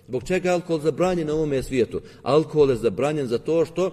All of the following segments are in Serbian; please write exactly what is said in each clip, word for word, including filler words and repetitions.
Zbog čega je alkohol zabranjen na ovome svijetu? Alkohol je zabranjen zato što uh,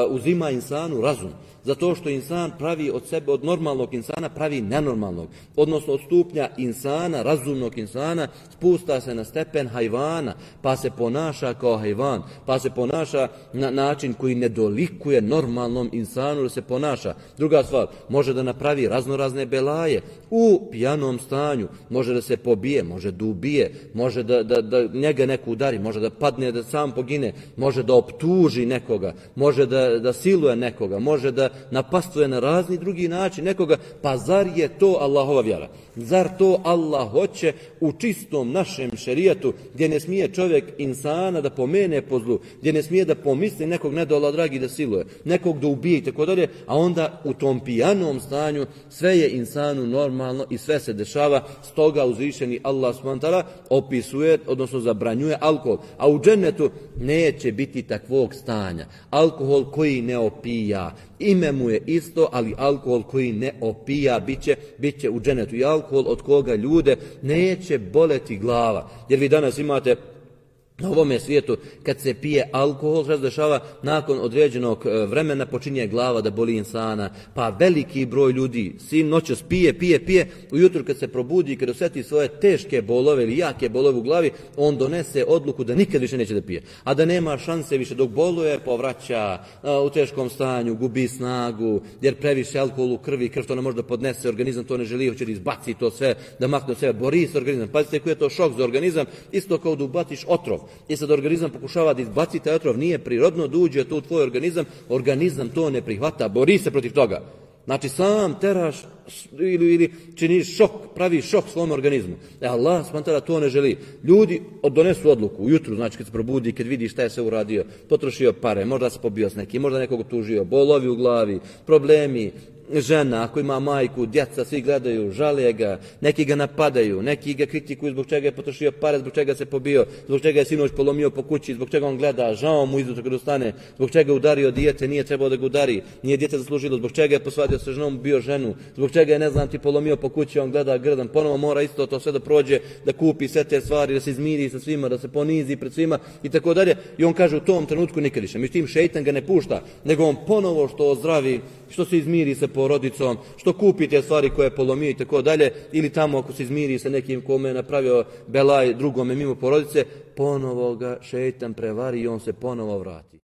uzima insanu razum. Zato što insan pravi od sebe, od normalnog insana pravi nenormalnog. Odnosno od stupnja insana, razumnog insana, spusta se na stepen hajvana, pa se ponaša kao hajvan, pa se ponaša na način koji ne dolikuje normalnom insanu da se ponaša. Druga stvar, može da napravi raznorazne belaje u pijanom stanju, može da se pobije, može da ubije, može da, da, da njega neko udari, može da padne, da sam pogine, može da optuži nekoga, može da, da siluje nekoga, može da napastvuje na razni drugi način nekoga, pa zar je to Allahova vjera? Zar to Allah hoće u čistom našem šerijatu, gdje ne smije čovjek insana da pomene po zlu, gdje ne smije da pomisli nekog ne da Allah dragi da siluje, nekog da ubije i tako dalje, a onda u tom pijanom stanju sve je insanu normalno i sve se dešava, stoga uzvišeni Allah subhanahu wa ta'ala opisuje, odnosno zabranjuje alkohol, a u džennetu neće biti takvog stanja. Alkohol koji ne opija, ime mu je isto, ali alkohol koji ne opija biće, biće u džennetu. I alkohol od koga ljude neće boleti glava. Jer vi danas imate na ovome svijetu, kad se pije alkohol, što se dešava, nakon određenog vremena počinje glava da boli insana, pa veliki broj ljudi sin noćas pije, pije, pije, ujutro kad se probudi, kad osjeti svoje teške bolove ili jake bolove u glavi, on donese odluku da nikad više neće da pije. A da nema šanse više, dok boluje, povraća u teškom stanju, gubi snagu, jer previše alkohol u krvi, krv to ne može da podnese, organizam to ne želi, hoće da izbaci to sve, da makne od sebe, bori se organizam. Pazite koji je to šok za organizam, isto kao da ubaciš otrov. I sad organizam pokušava da izbaci taj otrov, nije prirodno da uđe to u tvoj organizam, organizam to ne prihvata, bori se protiv toga. Znači sam teraš ili, ili činiš šok, pravi šok svom organizmu. E Allah smantara to ne želi. Ljudi donesu odluku ujutru, znači kad se probudi, kad vidi šta je sve uradio, potrošio pare, možda se pobio s nekim, možda nekog tužio, bolovi u glavi, problemi, žena, ako ima majku, djeca, svi gledaju, žale ga, neki ga napadaju, neki ga kritikuju zbog čega je potrošio pare, zbog čega se pobio, zbog čega je sinoć polomio po kući, zbog čega on gleda, žao mu izutra kad ustane, zbog čega je udario dijete, nije trebao da ga udari, nije dijete zaslužilo, zbog čega je posvadio sa ženom, bio ženu, zbog čega je, ne znam, ti polomio po kući, on gleda grdan, ponovo mora isto to sve da prođe, da kupi sve te stvari, da se izmiri sa svima, da se ponizi pred svima i tako dalje. I on kaže u tom trenutku nikad više. Međutim, šejtan ga ne pušta, nego on ponovo što ozdravi, što se izmiri sa porodicom, što kupi te stvari koje je polomio i tako dalje, ili tamo ako se izmiri sa nekim kome je napravio belaj drugome mimo porodice, ponovo ga šejtan prevari i on se ponovo vrati.